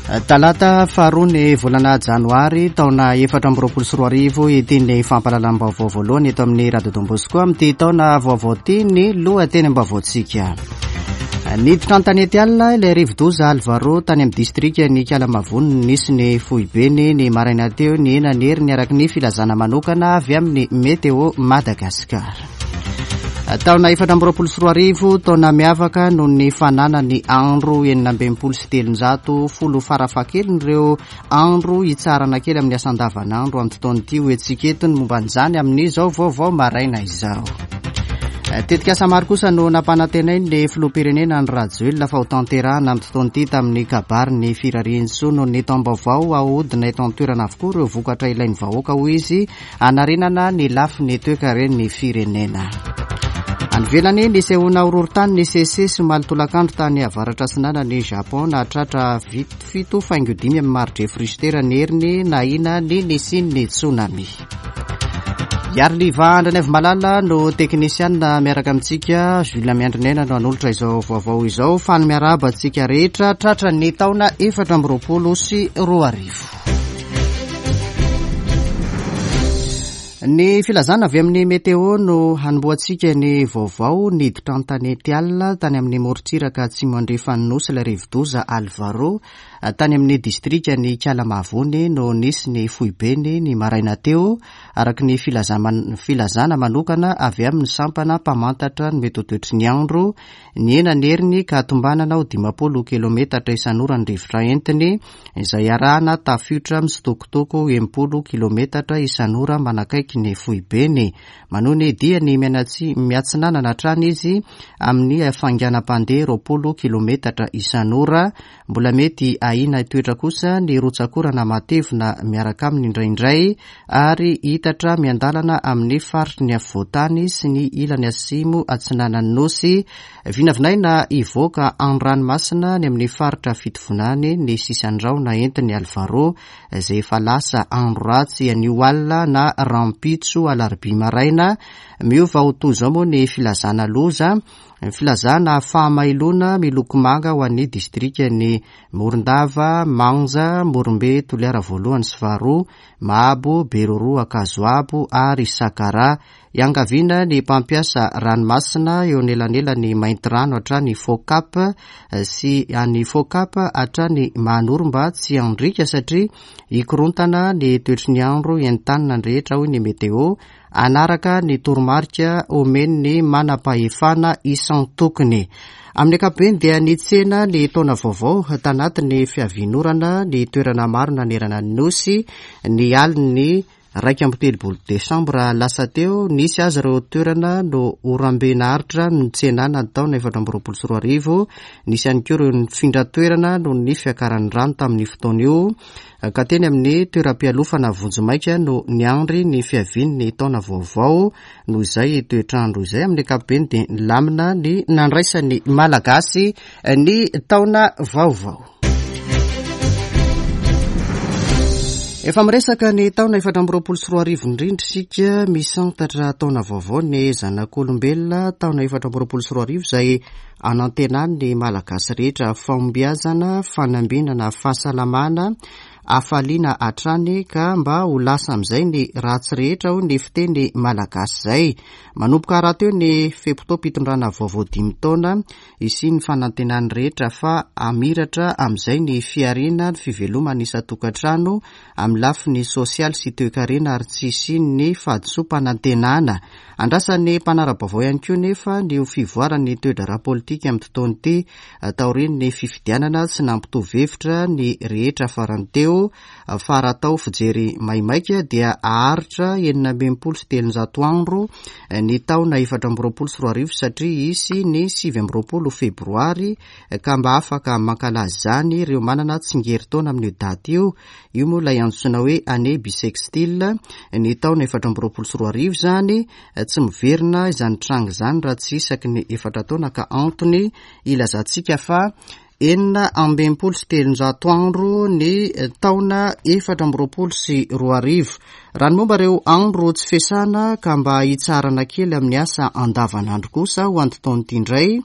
Talata faharoa ny volana janoary taona 2024 ity ny fampahalalam-baovao voalohany eto amin'ny Radio Don Bosco amin'ity taona vaovao ity ny lohatenim-baovaontsika. Niditra an-tanety alina ilay rivodoza Alvaro tany amin'ny distrikan'i Ikalamavony nisy ny foibeny ny maraina teo nihena ny heriny araka ny filazana manokana avy amin'ny Météo Madagascar. Taona 2024, taona miavaka noho ny fananany andro 366 folo farafahakeliny ireo andro hitsarana kely amin'ny asa andavanandro amin'ity taona ity. Ho hetsika eto ny momba an'izany amin'izao vaovao maraina izao. Tetikasa maro kosa no nampanantenain'ny filoham-pirenena Andry Rajoelina fa ho tanterahana amin'ity taona ity tamin'ny kabariny firariantsoa noho ny taom-baovao. Haodina eto an-toerana avokoa ireo vokatra ilain'ny vahoaka, hoy izy, hanarenana ny lafiny toekaren'ny firenena. Any ivelany, nisehoana horohorontany nisesisesy omaly tolakandro tany avaratra atsinanan'i Japon, nahatratra 7.5 amin'ny mari-drefy Richter ny heriny nahina ny nisian'ny tsunami. Iariliva Andrianaivomalala no teknisianina miaraka amintsika, Jules Miandrinena no hanolotra izao vaovao izao. Faly miarahaba antsika rehetra tratra ny taona 2024. Ny filazana avy amin'ny météo no hanombohantsika ny vaovao. Niditra an-tanety alina tany amin'ny morontsiraka atsimo andrefan'ny Nosy ilay rivodoza Alvaro. Tany amin'ny distrikan'i Ikalamavony no nisy ny foibeny ny maraina teo, araka ny filazana manokana avy amin'ny sampana mpamantatra ny mety ho toetry ny andro. Nihena ny heriny ka tombanana ho 50 kilometatra isan'ora ny rivotra entiny, izay arahana tafiotra mitsitokotoko 60 kilometatra isan'ora manakaiky ny foibeny. Manohy ny diany miatsinanana hatrany izy amin'ny hafainganam-pandeha 20 kilometatra isan'ora. Mbola mety ahiana hitoetra kosa ny rotsak'orana matevina miaraka aminy indraindray ary hitatra miandalana amin'ny faritry ny afovoan-tany sy ny ilany atsimo atsinanan'ny Nosy. Vinavinaina hivoaka an-dranomasina any amin'ny faritra Fitovinany ny sisan-drahona entin'i Alvaro izay efa lasa andro ratsy anio alina na rahampitso alarobia maraina. Miova ho toy izao moa ny filazana loza. Ny filazana fahamailoana miloko manga ho an'ny distrikan'i Morondava, Manja, Morombe, Toliara voalohany sy faharoa, Mahabo, Beroroha, Ankazoabo ary Sakaraha. Iangaviana ny mpampiasa ranomasina eo anelanelan'i Maintirano hatrany Focap sy any Focap hatrany Mahanoro mba tsy handriaka satria hikorontana ny toetry ny andro entanina ny rehetra hoy ny Météo. Hanaraka ny toromarika omen'ny manam-pahefana isan-tokony. Amin'ny ankapobeny dia nitsena ny taona vaovao tanatin'ny fiavian'orana ny toerana maro nanerana ny Nosy ny alin'ny 31 desambra lasa teo. Nisy aza ireo toerana no orambe naharitra nitsenana ny taona 2024. Nisy ihany koa ireo nifindra toerana noho ny fiakaran'ny rano tamin'io fotoana io. ka teny amin'ny toeram-pialofana vonjimaika no niandry ny fiavian'ny taona vaovao. Noho izay toetr'andro izay, amin'ny ankapobeny dia nilamina ny nandraisan'ny Malagasy ny taona vaovao. Efa miresaka ny taona 2024 indrindra isika, misantatra taona vaovao ny zanak'olombelona, taona 2024 izay Anantenany ny Malagasy rehetra fahombiazana, fanambinana, fahasalamana, hafaliana hatrany ka mba ho lasa amin'izay ny ratsy rehetra hoy ny fiteny Malagasy izay. Manomboka rahateo ny fe-potoam-pitondrana vaovao dimy taona, hisian'ny fanantenan'ny rehetra fa hamiratra amin'izay ny fihariana, ny fiveloman'ny isan-tokantrano amin'ny lafiny sosialy sy toekarena ary tsy hisian'ny fahadisoam-panantenana. Andrasan'ny mpanara-baovao ihany koa nefa ny ho fivoaran'ny toe-draharaha politika amin'ity taona ity taorian'ny fifidianana tsy nampitovy hevitra ny rehetra farany teo fa raha atao fijery maimaika dia haharitra 366 andro ny taona 2024 satria hisy ny 29 febroary ka mba afaka mankalaza izany ireo manana tsingerin-taona amin'io daty io. Io moa ilay antsoina hoe année bissextile, ny taona 2024 izany, tsy miverina izany tranga izany raha tsy isaky ny efatra taona ka antony ilazantsika fa. 366 andro ny taona 2024. Raha ny momba ireo andro tsy fiasana ka mba hitsaharana kely amin'ny asa andavanandro kosa ho an'ity taona ity indray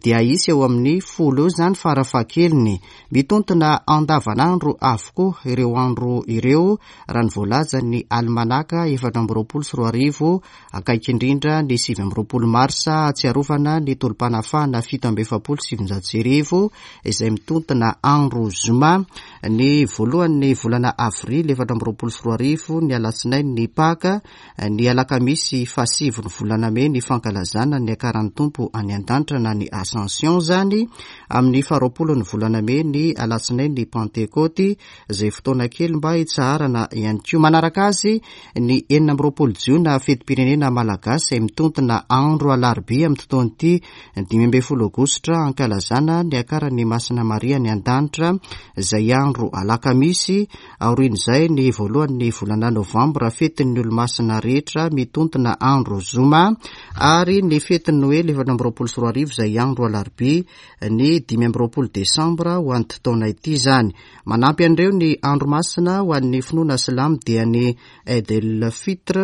dia hisy eo amin'ny folo eo izany farafahakeliny. Mitontona andavanandro avokoa ireo andro ireo raha ny voalazan'ny alimanaka 2024 Akaiky indrindra ny 29 marsa hahatsiarovana ny tolom-panafahana 1947 izay mitontona andro zoma, ny voalohan'ny volana avrily 2024 ny alatsinainy ny Paka, ny alakamisy fahasivy ny volana mey ny fankalazana ny niakaran'ny Tompo any an-danitra na ny Ascension izany, amin'ny faharoapolo ny volana mey ny alatsinainy ny Pantekôty izay fotoana kely mba hitsaharana ihany koa. Manaraka azy ny 26 jiona fetim-pirenena malagasy izay mitontona andro alarobia amin'ity taona ity, ny 15 aogositra ankalazana ny niakaran'i Masina Maria any an-danitra izay andro alakamisy, aorian'izay ny voalohan'ny volana novambra fetin'ny olomasina rehetra mitontona andro zoma ary ny fetin'ny noely 2024 izay andro alarobia ny 25 desambra ho an'ity taona ity izany. Manampy an'ireo ny andro masina ho an'ny finoana silamo dia ny Eid el Fitr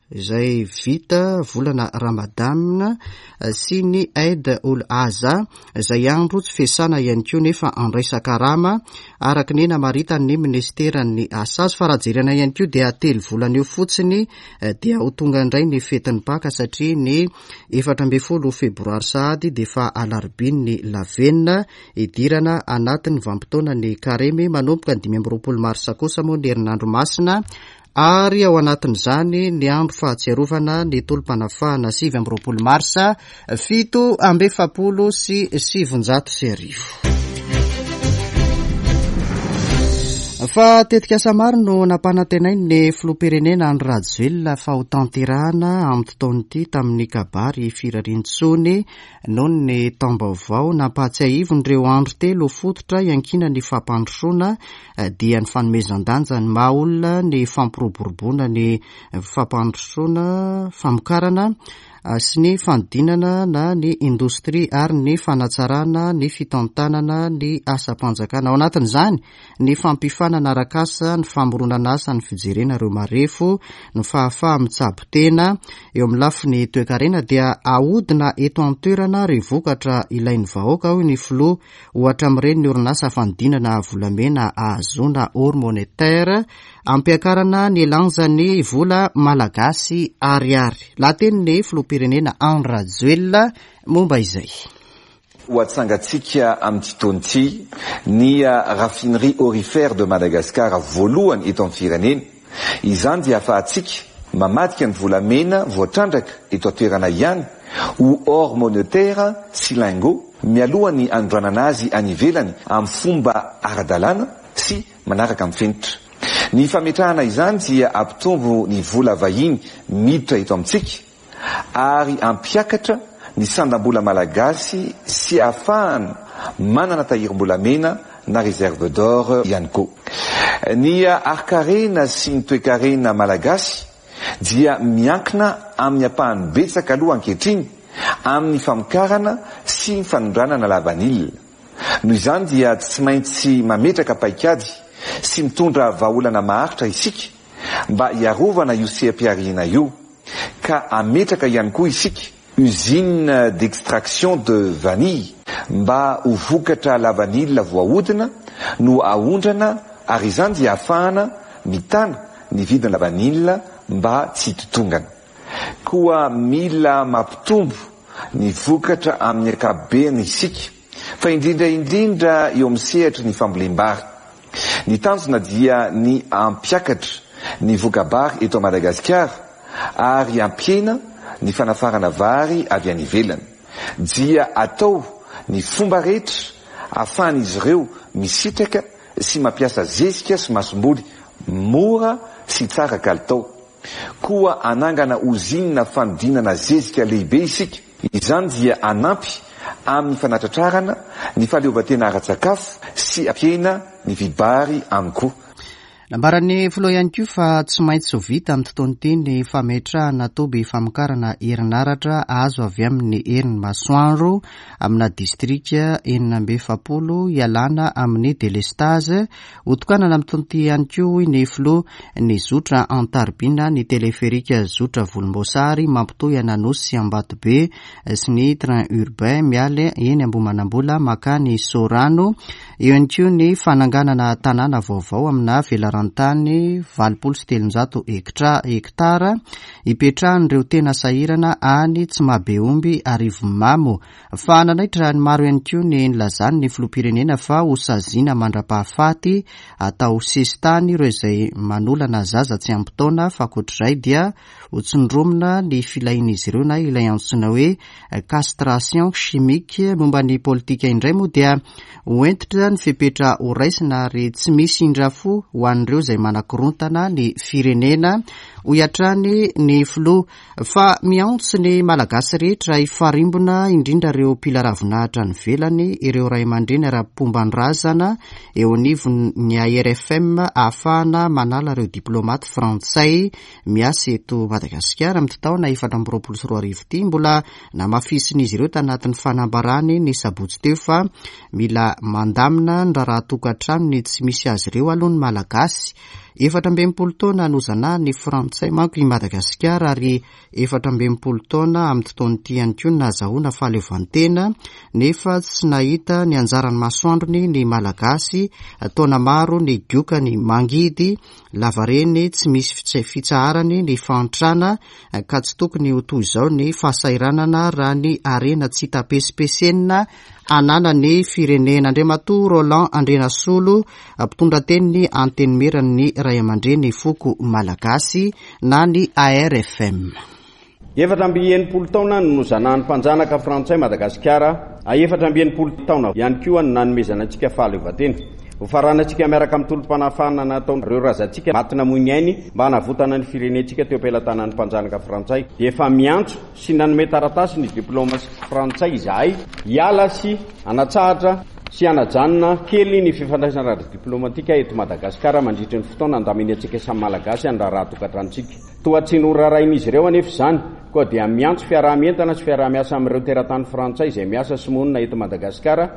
izay vita volana Ramadan sy ny Eid ul Azha izay andro tsy fiasana ihany koa nefa andraisan-karama araka ny namaritan'ny minisiteran'ny asa azy. Fa raha jerena ihany koa dia telo volana eo fotsiny dia ho tonga indray ny fetin'ny Paka satria ny 14 febroary sahady dia efa alarobian'ny lavenona Hidirana anatin'ny vanim-potoanan'ny Karemy manomboka ny 25 marsa kosa moa ny herinandro masina ary ao anatin'izany ny andro fahatsiarovana ny tolom-panafahana 29 marsa 1947. Fa tetikasa maro no nampanantenain'ny filoham-pirenena Andry Rajoelina fa ho tanterahana amin'ity taona ity tamin'ny kabary firarian-tsoa Noho ny taom-baovao, nampahatsiahiviny ireo andro telo fototra iankinan'ny fampandrosoana dia ny fanomezan-danja ny maha olona, ny fampiroboroboana ny fampandrosoana, famokarana sy ny fanodinana na ny indostria ary ny fanatsarana ny fitantanana ny asam-panjakana. Ao anatin'izany ny fampifanana arak'asa, ny famoronana asa, ny fijerena ireo marefo, ny fahafaha-mitsabo tena. Eo amin'ny lafiny toekarena dia ahodina eto an-toerana ireo vokatra ilain'ny vahoaka, hoy ny filoha, ohatra amin'ireny ny orinasa fanodinana volamena ahazoana or monétaire, ampiakarana ny lanjan'ny vola malagasy ariary. Lahatenin'ny filoham-pirenena Andry Rajoelina momba izay. Ho atsangantsika amin'ity taona ity ny Raffinerie aurifère de Madagascar voalohany eto amin'ny firenena. Izany dia ahafahantsika mamadika ny volamena voatrandraka eto an-toerana ihany ho or monetaire sy lingot mialoha ny hanondranana azy any ivelany amin'ny fomba ara-dalàna sy manaraka ny fenitra. Ny fametrahana izany dia hampitombo ny vola vahiny miditra eto amintsika ary hampiakatra ny sandam-bola malagasy sy ahafahana manana tahirim-bolamena na réserve d'or ihany koa. Ny harin-karena sy ny toekarena malagasy dia miankina amin'ny ampahany betsaka aloha ankehitriny amin'ny famokarana sy ny fanondranana lavanila. Noho izany dia tsy maintsy mametraka paikady sy mitondra vahaolana maharitra isika mba hiarovana io seha-pihariana io ka hametraka ihany koa isika usine d'extraction de vanille mba ho vokatra lavanila voahodina no aondrana ary izany dia ahafahana mitana ny vidina lavanila mba tsy hitotongana. Koa mila mampitombo ny vokatra amin'ny ankapobeny isika fa indrindra indrindra eo amin'ny sehatry ny fambolem-bary. Ny tanjona dia ny hampiakatra ny voka-bary eto Madagasikara ary hampihena ny fanafarana vary avy any ivelany. Dia atao ny fomba rehetra ahafahan'izy ireo misitraka sy mampiasa zezika sy masomboly mora sy tsara kalitao. Koa hanangana ozinina fanodinana zezika lehibe isika. Izany dia hanampy amin'ny fanatratrarana ny fahaleovantena ara-tsakafo sy hampihena ny vidim-bary aminy koa. Nambaran'ny filoha ihany koa fa tsy maintsy ho vita amin'ity taona ity ny fametrahana toby famokarana herinaratra azo avy amin'ny herin'ny masoandro amina distrika 46 hialana amin'ny delestazy. Hotokanana amin'ity taona ity ihany koa hoy ny filoha ny zotra Antaribina, ny teleferika zotra volomboasary mampitohy an'Anosy sy Ambatobe sy ny train urbain miala eny Ambohimanambola mankany Soarano. Eo ihany koa ny fananganana tanàna vaovao amina velaran-tany 380 hektara hipetrahan'ireo tena sahirana any Tsimahabeomby Arivonimamo. Fa nanaitra ny maro ihany koa ny nilazany ny filoham-pirenena fa ho saziana mandra-pahafaty atao sesitany ireo izay manolana zaza tsy ampy taona fa ankoatr'izay dia ho tsindromina ny filahian'izy ireo na ilay antsoina hoe castration chimique. Momba ny politika indray moa dia ho hentitra ny fepetra ho raisina ary tsy misy indrafo ho an'ireo izay manakorontana ny firenena, hoy hatrany ny filoha. Fa miantso ny Malagasy rehetra hifarimbona, indrindra ireo mpila ravinahitra any ivelany, ireo ray aman-dreny ara-pomban-drazana eo anivon'ny ARFM ahafahana manala ireo diplaomaty frantsay miasa eto Madagasikara amin'ity taona 2024 ity. Mbola namafisin'izy ireo tanatin'ny fanambarany ny sabotsy teo fa mila mandamina ny raharaha tokantranony tsy misy azy ireo aloha ny Malagasy. 64 taona nozanahan'ny Frantsay manko i Madagasikara ary 64 taona amin'ity taona ity ihany koa no nahazahoana fahaleovantena nefa tsy nahita ny anjaran'ny masoandrony ny Malagasy. Taona maro nigoka ny mangidy Lavareny tsy misy fitsaharany ny fahantrana ka tsy tokony ho toy izao ny fahasahiranana raha ny harena tsy hita pesipesenina ananan'ny firenena. Andriamatoa Roland Andrianasolo, mpitondra tenin'ny Antenimieran'ny Raiamandreny Foko Malagasy na ny ARFM. 64 taona no nozanahan'ny mpanjanaka frantsay Madagasikara, a 64 taona ihany koa no nanomezana antsika fahaleovantena. Ho faranantsika miaraka amin'ny tolom-panafahana nataon'ireo razantsika maty namoy ny ainy mba hanavotana ny firenentsika teo am-pelatanan'ny mpanjanaka frantsay dia efa miantso sy nanome taratasy ny diplomasia frantsay izahay hiala sy hanatsahatra sy hanajanona kely ny fifandraisana ara-diplomatika eto Madagasikara mandritry ny fotoana andaminantsika samy Malagasy ny raharaha tokantranontsika. Toa tsy noraharahin'izy ireo anefa izany, koa dia miantso fiaraha-mientana sy fiaraha-miasa amin'ireo teratany frantsay izay miasa sy monina eto Madagasikara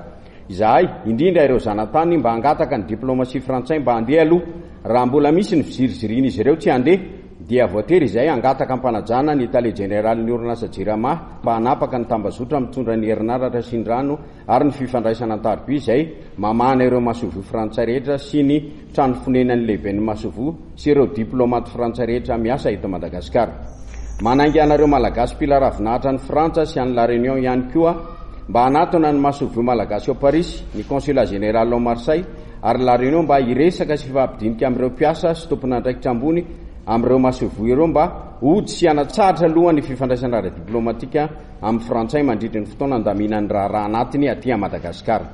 izahay, indrindra ireo zanatany mba hangataka ny diplomasia frantsay mba handeha aloha. Raha mbola misy ny fizirizirian'izy ireo tsy handeha, dia voatery izahay hangataka am-panajana ny tale jeneralin'ny orinasa Jirama mba hanapaka ny tambazotra mitondra ny herinaratra sy ny rano ary ny fifandraisana an-tariby izay mamahana ireo masoivoho frantsay rehetra sy ny trano fonenan'ny lehiben'ny masoivoho sy ireo diplaomaty frantsay rehetra miasa eto Madagasikara. Manainga anareo Malagasy mpila ravinahitra any Frantsa sy any La Réunion ihany koa mba hanatona ny masoivoho malagasy ao Parisy, ny Consulat général ao Marseille ary La Réunion mba hiresaka sy hifampidinika amin'ireo mpiasa sy tompon'andraikitra ambony amin'ireo masoivoho ireo mba hody sy hanatsahatra aloha ny fifandraisana ara-diplaomatika amin'ny frantsay mandritry ny fotoana andaminany raharaha anatiny aty Madagasikara.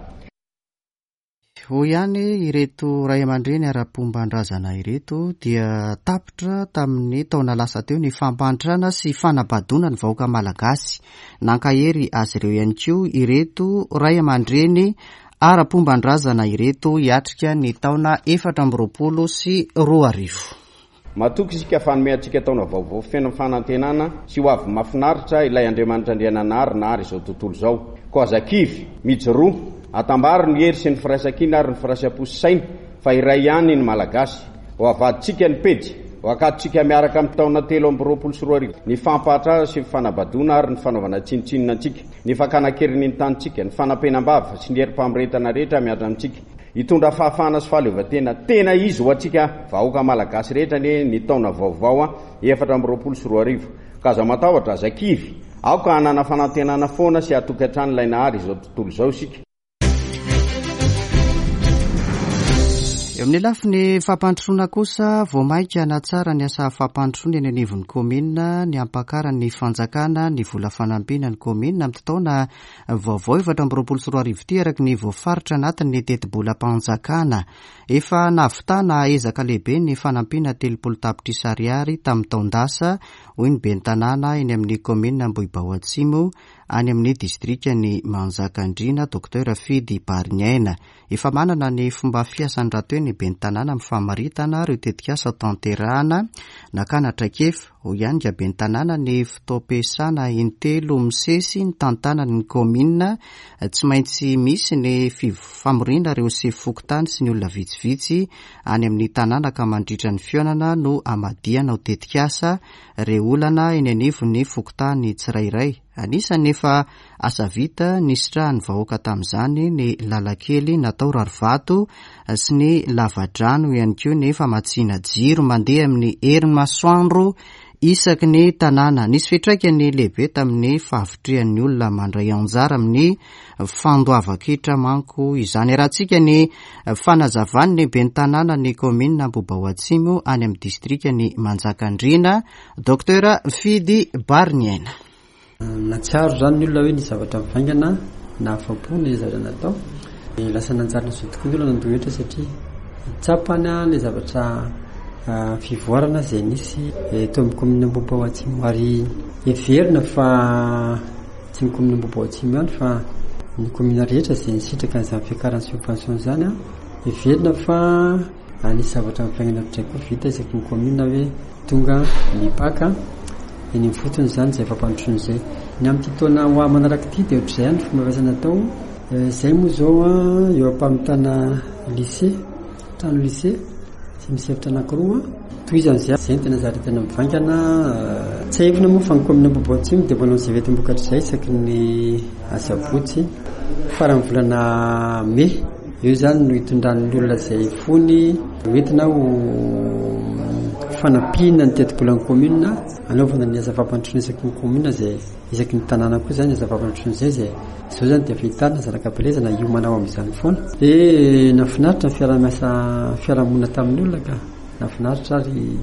Hoy ihany ireto ray aman-dreny ara-pomban-drazana ireto dia tapitra tamin'ny taona lasa teo ny fampahantrana sy fanabadoana ny vahoaka malagasy. Nankahery azy ireo ihany koa ireto ray aman-dreny ara-pomban-drazana ireto hiatrika ny taona 2024. Matoky isika fa hanome antsika taona vaovao feno fanantenana sy ho avy mahafinaritra ilay Andriamanitra Andriananahary nahary izao tontolo izao. Koa aza kivy, mijoroa, atambaro ny hery sy ny firaisankina ary ny firaisam-po sy saina fa iray ihany ny Malagasy. Ho avadintsika ny pejy, ho akatontsika miaraka amin'ny taona 2023 ny fampahatrana sy ny fanabadoana ary ny fanaovana tsinontsinona antsika, ny fakana an-keriny ny tanintsika, ny fanampenam-bava sy ny herim-pamoretana rehetra mihatra amintsika. Hitondra fahafahana sy fahaleovantena tena izy ho antsika vahoaka malagasy rehetra anie ny taona vaovao 2024. Ka aza matahotra, aza kivy. Aoka hanana fanantenana foana sy hatoky hatrany ilay Nahary izao tontolo izao isika. Eo amin'ny lafiny fampandrosoana kosa, vao mainka hanatsara ny asa fampandrosoana eny anivon'ny kaominina ny hampakaran'ny fanjakana ny vola fanampiana ny kaominina amin'ity taona Vaovao 2024 ity araka ny voafaritra anatin'ny tetibolam-panjakana. Efa nahavitana ezaka lehibe ny fanampiana 30 tapitrisa ariary tamin'ny taon-dasa, hoy ny ben'ny tanàna eny amin'ny kaominina Ambohibao Atsimo, any amin'ny distrikan'i Manjakandriana, Docteur Fidy Bariniaina. Efa manana ny fomba fiasany rahateo ny ben'ny tanàna amin'ny famaritana ireo tetikasa tanterahana nakana traikefa. Hoy ihany nga ben'ny tanàna ny fotoam-piasana intelo misesy nitantanany ny kaominina. Tsy maintsy misy ny famoriana ireo sefo fokontany sy ny olona vitsivitsy any amin'ny tanàna ka mandritra ny fihaonana no hamadihana ho tetikasa ireo olana eny anivon'ny fokontany tsirairay. Anisan'ny efa asa vita nisitrahan'ny vahoaka tamin'izany ny lalan-kely natao rarivato sy ny lavadrano ihany koa ny famatsiana jiro mandeha amin'ny herin'ny masoandro isaky ny tanàna. Nisy fiantraikany lehibe tamin'ny fahavitrihan'ny olona mandray anjara amin'ny fandoavan-ketra manko izany. Arahantsika ny fanazavan'ny ben'ny tanànan'ny kaominina Ambohibao Atsimo any amin'ny distrikan'i Manjakandriana, Docteur Fidy Bariniaina. Nahatsiaro izany ny olona hoe nisy zavatra mivaingana nahafapo ny zavatra natao. Dia lasa nanjary nazoto tokoa ny olona nandoa hetra satria tsapany ilay zavatra fivoarana izay nisy teo amin'ny kaominina Ambohibao Atsimo. Ary heverina fa tsy ny kaominina Ambohibao Atsimo ihany fa ny kaominina rehetra izay nisitraka an'izany fiakaran'ny subvention izany, heverina fa nisy zavatra mivaingana ohatr'izay koa vita isaky ny kaominina hoe tonga mipaka eny ifotony izany izay fampandrosoana izay. Ny amin'ity taona ho avy manaraka ity dia ohatr'izay ihany ny fomba fiasana atao. Izay moa izao eo am-pamitana lycée, trano lycée izay misy efitra anankiroa. Tohizana izay, izay no tena zary tena mivaingana. Tsiahivina moa fa ny kaominina Ambohibao Atsimo dia manao izay ventim-bokatra izay isaky ny asabotsy faran'ny volana mey. Eo izany no hitondran'ny olona izay fony hoentina ho fanampiana ny tetibolan'ny commune hanaovana ny asa fampandrosoana isaky ny commune izay isaky ny tanàna koa izany asa fampandrosoana izay izay izao izany dia efa hitarina zanaka am-pielezana hiomana ho amin'izany foana. Dia nahafinaritra ny fiaraha-miasa fiarahamonina tamin'ny olona ka nahafinaritra ary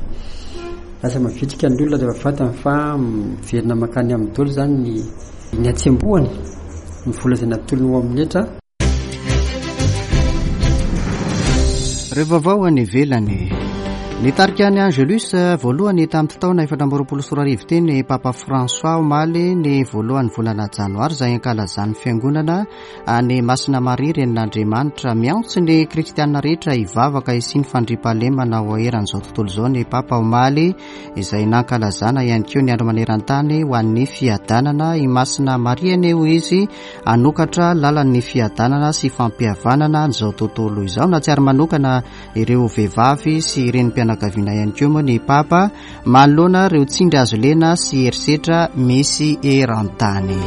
lasa mavitrika ny olona rehefa fantany fa miverina mankany aminy daholo izany ny ny hatsembohany ny vola izay natolony ho amin'ny hetra. Ireo vaovao any ivelany. Nitarika ny Angelus voalohany tamin'ity taona 2024 ity ny Papa François omaly ny voalohan'ny volana janoary izay ankalazan'ny fiangonana any Masina Maria Renin'Andriamanitra. Miantso ny kristiana rehetra hivavaka hisian'ny fandriampahalemana ho eran'izao tontolo izao ny Papa omaly izay nankalazana ihany koa ny andro maneran-tany ho an'ny fiadanana. I Masina Maria anie hoy izy Hanokatra lalan'ny fiadanana sy fampihavanana an'izao tontolo izao. Nahatsiaro manokana ireo vehivavy sy renim-pianakaviana ihany koa moa ny Papa manoloana ireo tsindry hazo lena sy herisetra misy eran-tany.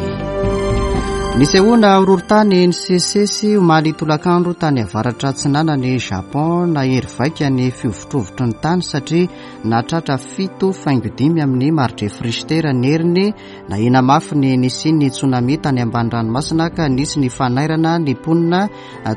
Nisehoana horohorontany nisesisesy omaly tolakandro tany avaratra atsinanan'i Japon. Nahery vaika ny fihovitrovitry ny tany satria nahatratra 7.5 amin'ny mari-drefy Richter ny heriny. Nahena mafy ny nisian'ny tsunami tany ambany ranomasina ka nisy ny fanairana ny mponina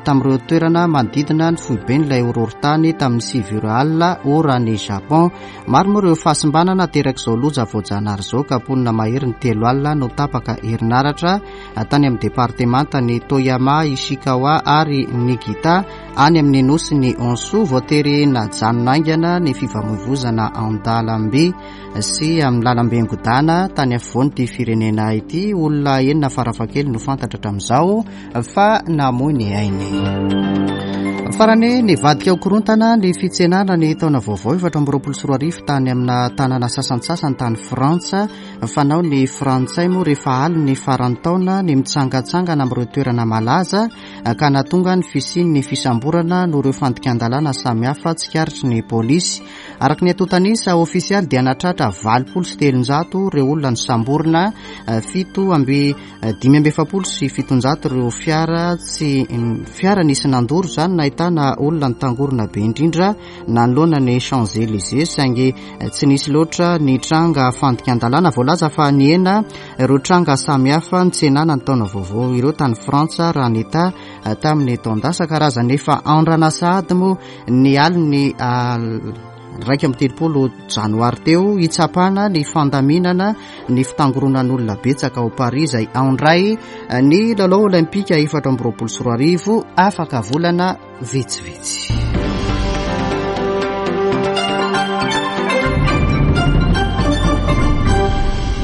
tamin'ireo toerana manodidina ny foiben'ilay horohorontany tamin'ny 9 ora alina ora any Japon. Maro moa ireo fahasimbana naterak'izao loza voajanahary izao ka mponina mahery ny 30 no tapaka herinaratra tany amin'ny departemantan'i Toyama, Ishikawa ary Niigata any amin'ny nosin'i Honshu. Voatery najanona haingana ny fifamoivozana an-dalambe. sy amin'ny lalambe Ngodana tany afovoan'ity firenena ity. Olona enina farafakely no fantatra hatramin'izao fa namoy ny ainy. Farany, nivadika ho korontana ny fitsenana ny taona vaovao 2024 tany amina tanàna sasantsasany tany Frantsa. Fanao ny Frantsay moa rehefa alin'ny faran'ny taona ny mitsangantsangana amin'ireo toerana malaza ka nahatonga ny fisian'ny fisamborana noho ireo fandikan-dalàna samihafa tsikaritry ny polisy. Araka ny antontan'isa ofisialy dia nahatratra 380 ireo olona nosamborina, 47 ireo fiara tsy fiara nisy nandoro izany nahitana olona nitangorona be indrindra nanoloana ny Champs Elysees saingy tsy nisy loatra ny tranga fandikan-dalàna. Voalaza fa nihena ireo tranga samihafa nitsenana ny taona vaovao ireo tany Frantsa raha nitaha tamin'ny taon-dasa. Karazana efa andrana sahady moa ny alin'ny 31 janoary teo hitsapana ny fandaminana ny fitangoronan'olona betsaka ao Paris izay handray ny lalao olympika 2024 afaka volana vitsivitsy.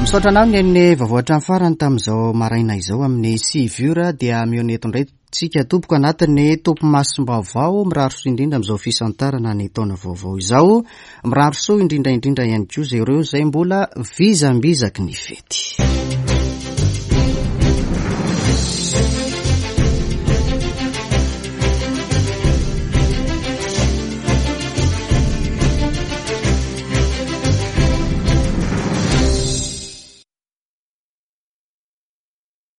Misaotra anao ny vaovao hatramin'ny farany tamin'izao maraina izao amin'ny 9 ora dia mihaona eto indray tsika tompoko anatin'ny topimasom-baovao. Mirary soa indrindra amin'izao fisantarana ny taona vaovao izao. Mirary soa indrindra indrindra ihany koa izay ireo izay mbola vizambizaky ny fety.